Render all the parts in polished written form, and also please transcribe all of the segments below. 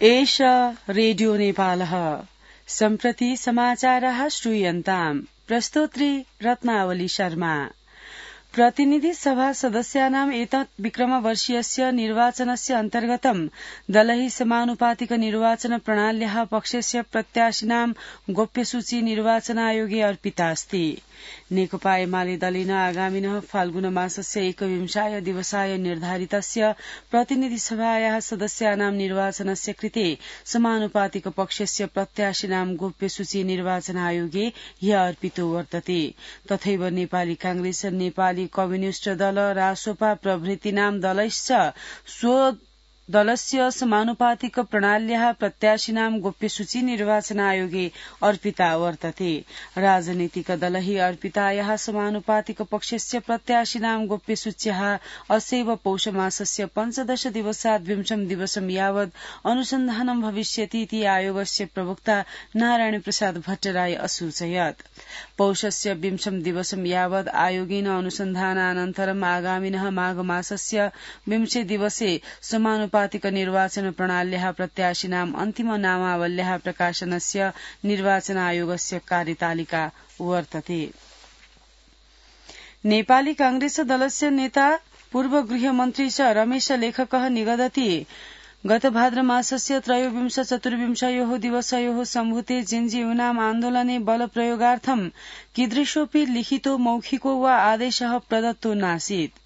एष रेडियो नेपालः सम्प्रति समाचारः श्रूयन्ताम् प्रस्तोत्री रत्नावली शर्मा। प्रतिनिधि सभा सदस्यानाम् एतत् विक्रमवर्षीयस्य निर्वाचनस्य अन्तर्गतं दलैः समानुपातिक निर्वाचन प्रणाल्याः पक्षस्य प्रत्याशिनां गोप्यसूची निर्वाचनायोगे अर्पितास्ति। नेकपा एमाले दलेन आगामिनः फाल्गुन मासस्य 21 दिवसाय निर्धारितस्य प्रतिनिधि सभायाः सदस्यानां निर्वाचनस्य कृते समानुपातिक पक्षस्य प्रत्याशिनां गोप्यसूची निर्वाचनायोगे ह्य अर्पितो वर्तते। तथैव नेपाली कांग्रेस, नेपाली कम्युनिष्ट दल, रासोपा प्रभृतीनां दलैश्च दलस्य समानुपातिक प्रणाल्याः प्रत्याशिनां गोप्यसूची निर्वाचनायोगे अर्पिता वर्तते। राजनीतिक दलैः अर्पितायाः समानुपातिक पक्षस्य प्रत्याशिनां गोप्यसूच्याः अस्यैव पौषमासस्य 15 दिवसात् 20 दिवसं यावत् अनुसन्धानं भविष्यति इति आयोगस्य प्रवक्ता नारायण प्रसाद भट्टराय असूचयत्। पौषस्य 20 दिवसं यावत् आयोगेन अनुसन्धानानन्तरम् आगामिनः माघ मासस्य 20 दिवसे समानुपातिक निर्वाचन प्रणाल्याः प्रत्याशिनाम् अन्तिम नामावल्याः प्रकाशनस्य निर्वाचन आयोगस्य कार्यतालिका वर्तते। नेपाली कांग्रेस दलस्य नेता पूर्व गृहमन्त्री च रमेश लेखकः निगदति गत भाद्रमासस्य 23-24 दिवसयोः सम्भूते जेन्जीयूनाम् आन्दोलने बलप्रयोगार्थं कीदृशोऽपि लिखितो मौखिको वा आदेशः प्रदत्तो नासीत्।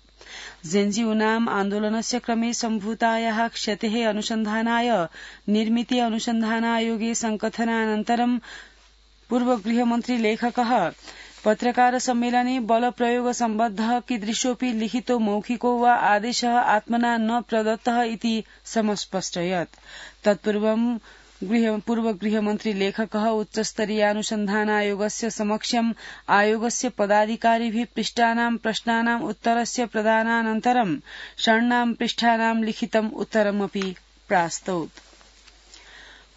जेन्जीयूनाम् आन्दोलनस्य क्रमे सम्भूतायाः क्षतेः अनुसन्धानाय निर्मिति अनुसन्धानायोगे संकथनानन्तरं पूर्व गृहमन्त्री लेखकः पत्रकार सम्मेलने बलप्रयोग सम्बद्धः कीदृशोऽपि लिखितो मौखिको वा आदेशः आत्मना न प्रदत्तः इति समस्पष्टयत्। तत्पूर्वं पूर्व गृहमन्त्री लेखकः उच्चस्तरीयानुसन्धानायोगस्य समक्षम् आयोगस्य पदाधिकारिभिः पृष्टानां प्रश्नानाम् उत्तरस्य प्रदानानन्तरं षण्णां पृष्ठानां लिखितम् उत्तरमपि प्रास्तौत्।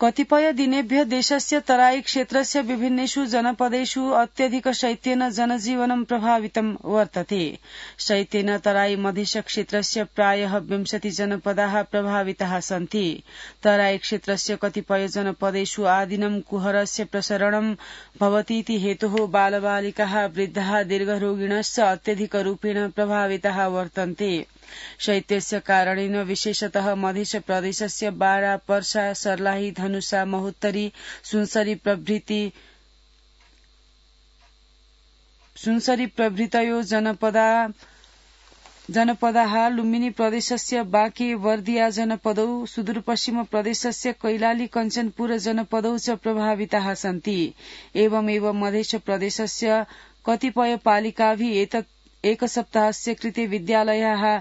कतिपय दिनेभ्यः देशस्य तराई क्षेत्रस्य विभिन्नेषु जनपदेषु अत्यधिक शैत्येन जनजीवनं प्रभावितं वर्तते। शैत्येन तराई मधेश क्षेत्रस्य प्रायः 20 जनपदाः प्रभाविताः सन्ति। तराई क्षेत्रस्य कतिपय जनपदेषु आदिनं कुहरस्य प्रसरणं भवतीति हेतुः बालबालिकाः, वृद्धाः, दीर्घरोगिणश्च अत्यधिकरूपेण प्रभाविताः वर्तन्ते। शैत्यस्य कारणेन विशेषतः मधेश प्रदेशस्य बारा, पर्सा, सर्लाही, धनुषा, महोत्तरी, सुनसरी प्रभृतयो जनपदाः, लुम्बिनी प्रदेशस्य बाँके वर्दिया जनपदौ, सुदूरपश्चिम प्रदेशस्य कैलाली कञ्चनपुर जनपदौ च प्रभाविताः सन्ति। एवमेव मधेश प्रदेशस्य कतिपय पालिकाभिः एतत् एक सप्ताहस्य कृते विद्यालयाः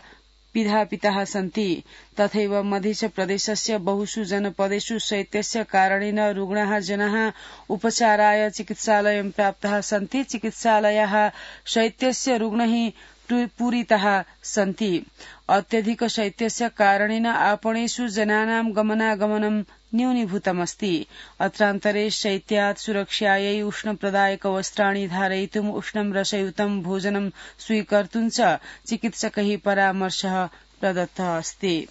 पिधापिताः सन्ति। तथैव मधेश प्रदेशस्य बहुषु जनपदेषु शैत्यस्य कारणेन रुग्णाः जनाः उपचाराय चिकित्सालयं प्राप्ताः सन्ति। चिकित्सालयाः शैत्यस्य रुग्णैः पूरिताः सन्ति। अत्यधिक शैत्यस्य कारणेन आपणेषु जनानां गमनागमनं न्यूनीभूतमस्ति। अत्रान्तरे शैत्यात् सुरक्षायै उष्णप्रदायक वस्त्राणि धारयितुम्, उष्णं रसयुतं भोजनं स्वीकर्तुं च चिकित्सकैः परामर्शः प्रदत्तः अस्ति।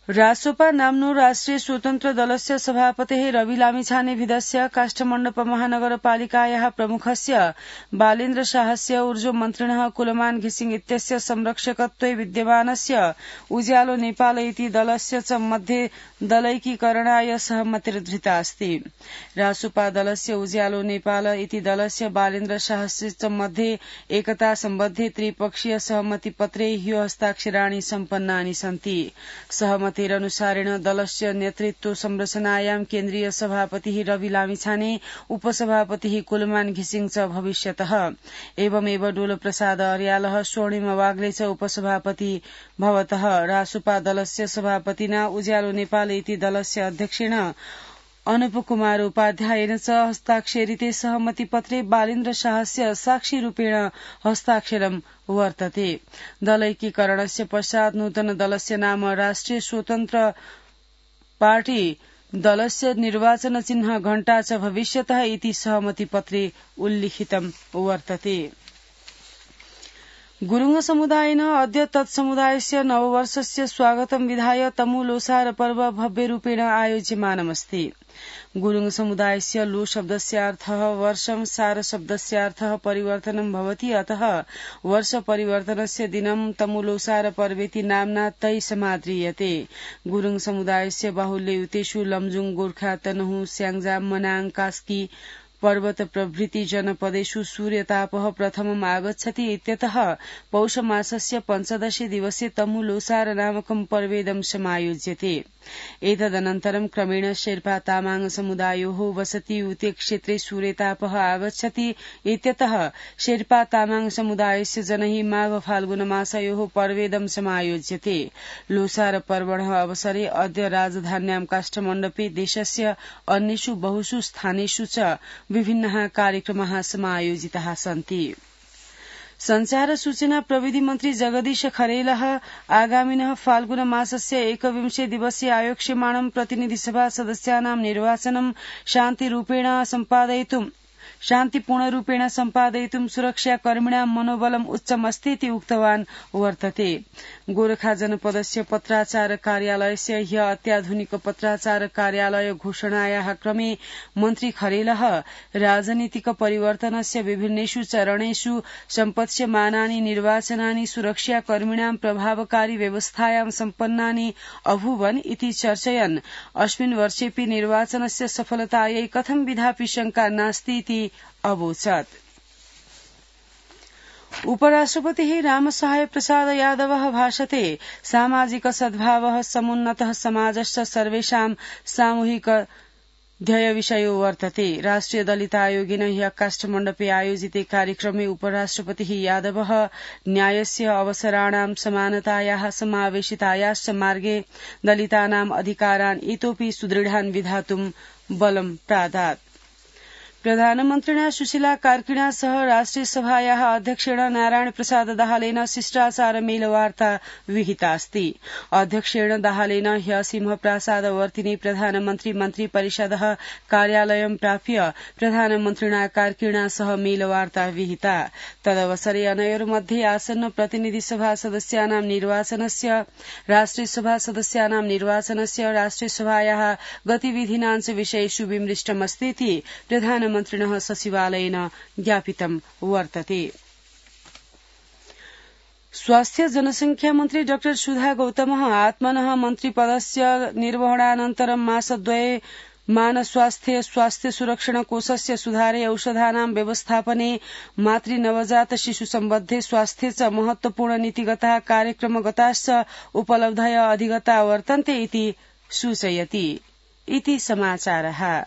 रासोपा नाम्नो राष्ट्रिय स्वतन्त्र दलस्य सभापतेः रवि लामिछानेविधस्य काष्ठमण्डप महानगरपालिकायाः प्रमुखस्य बालेन्द्र शाहस्य ऊर्जोमन्त्रिणः कुलमान घिसिङ इत्यस्य संरक्षकत्वे विद्यमानस्य उज्यालो नेपाल इति दलस्य च मध्ये दलैकीकरणाय सहमतिर्धृता अस्ति। रासोपा दलस्य उज्यालो नेपाल इति दलस्य बालेन्द्र शाहस्य च मध्ये एकता सम्बद्धे त्रिपक्षीय सहमतिपत्रे ह्यो हस्ताक्षराणि सम्पन्नानि सन्ति। सहमतिरनुसारेण दलस्य नेतृत्व संरचनायां केन्द्रीय सभापतिः रवि लामिछाने, उपसभापतिः कुलमान घिसिङ च भविष्यतः। एवमेव डोल प्रसाद अर्यालः, स्वर्णिम वाग्ले च उपसभापति भवतः। रासोपा दलस्य सभापतिना उज्यालो नेपाल इति दलस्य अध्यक्षेण अनुप कुमार उपाध्यायेन च हस्ताक्षरिते सहमतिपत्रे बालेन्द्र शाहस्य साक्षिरूपेण हस्ताक्षरं वर्तते। दलैकीकरणस्य पश्चात् नूतन दलस्य नाम राष्ट्रिय स्वतन्त्र पार्टी दलस्य निर्वाचन चिह्न घण्टा च भविष्यतः इति सहमतिपत्रे उल्लिखितं वर्तते। गुरुङ समुदायेन अद्य तत्समुदायस्य नववर्षस्य स्वागतं विधाय तमु लोसार पर्व भव्यरूपेण आयोज्यमानमस्ति। गुरुङ समुदायस्य लो शब्दस्यार्थः वर्षं, सार शब्दस्यार्थः परिवर्तनं भवति। अतः वर्ष परिवर्तनस्य दिनं तमुलोसार पर्वेति नाम्ना तै समाद्रियते। गुरुङ समुदायस्य बाहुल्ययुतेषु लमजुङ, गोर्खा, तनहु, स्याङ्जा, मनाङ, कास्की पर्वत प्रभृति जनपदेषु सूर्यतापः प्रथमम् आगच्छति इत्यतः पौषमासस्य 15 दिवसे तमु लोसार नामकं पर्वेदं समायोज्यते। एतदनन्तरं क्रमेण शेर्पा तामाङ समुदायोः वसतियुते क्षेत्रे सूर्यतापः आगच्छति इत्यतः शेर्पा तामाङ समुदायस्य जनैः माघ फाल्गुन मासयोः पर्वेदं समायोज्यते। लोसार पर्वणः अवसरे अद्य राजधान्यां काष्ठमण्डपे देशस्य अन्येषु बहुषु स्थानेषु च विभिन्नः कार्यक्रमाः समायोजिताः सन्ति। संचार सूचना प्रविधि मन्त्री जगदीश खरेलः आगामिनः फाल्गुन मासस्य 21 दिवसीय आयोक्ष्यमाणं प्रतिनिधिसभा सदस्यानां निर्वाचनं शान्तिपूर्णरूपेण सम्पादयितुं सुरक्षाकर्मिणां मनोबलम् उच्चमस्ति इति उक्तवान् वर्तते। गोरखा जनपदस्य पत्राचार कार्यालयस्य ह्य अत्याधुनिक पत्राचार कार्यालय घोषणायाः क्रमे मन्त्री खरेलः राजनीतिक परिवर्तनस्य विभिन्नेषु चरणेषु सम्पत्स्यमानानि निर्वाचनानि सुरक्षाकर्मिणां प्रभावकारी व्यवस्थायां सम्पन्नानि अभूवन् इति चर्चयन् अस्मिन् वर्षेऽपि निर्वाचनस्य सफलतायै कथं विधापि शंका नास्ति इति अवोचत्। उपराष्ट्रपतिः रामसहाय प्रसाद यादवः भाषते सामाजिक सद्भावः समुन्नतः समाजश्च सर्वेषां सामूहिक ध्येयविषयो वर्तते। राष्ट्रिय दलितायोगेन ह्यः काष्ठमण्डपे आयोजिते कार्यक्रमे उपराष्ट्रपतिः यादवः न्यायस्य अवसराणां समानतायाः समावेशितायाश्च मार्गे दलितानाम् अधिकारान् इतोपि सुदृढान् विधातुं बलं प्रादात्। प्रधानमन्त्रिणा सुशीला कार्किणा सह राष्ट्रियसभायाः अध्यक्षेण नारायण प्रसाद दाहालेन शिष्टाचार मेलवार्ता विहितास्ति। अध्यक्षेण दाहालेन ह्य सिंहप्रासादवर्तिनि प्रधानमन्त्री मन्त्रिपरिषदः कार्यालयं प्राप्य प्रधानमन्त्रिणा कार्किणा सह मेलवार्ता विहिता। तदवसरे अनयोर्मध्ये आसन्न प्रतिनिधिसभा सदस्यानां निर्वाचनस्य, राष्ट्रियसभा सदस्यानां निर्वाचनस्य, राष्ट्रियसभायाः गतिविधीनाञ्च विषयेषु विमृष्टमस्ति इति प्रधानमन्त्रिणः सचिवालयेन ज्ञापितं वर्तते। स्वास्थ्य जनसंख्या मन्त्री डाक्टर सुधा गौतमः आत्मनः मन्त्रिपदस्य निर्वहणानन्तरं मासद्वये मानस्वास्थ्य सुरक्षण कोषस्य सुधारे औषधानां व्यवस्थापने मातृनवजात शिशु सम्बद्धे स्वास्थ्ये च महत्वपूर्ण नीतिगताः कार्यक्रमगताश्च उपलब्धय अधिगता वर्तन्ते इति सूचयति। इति समाचारः।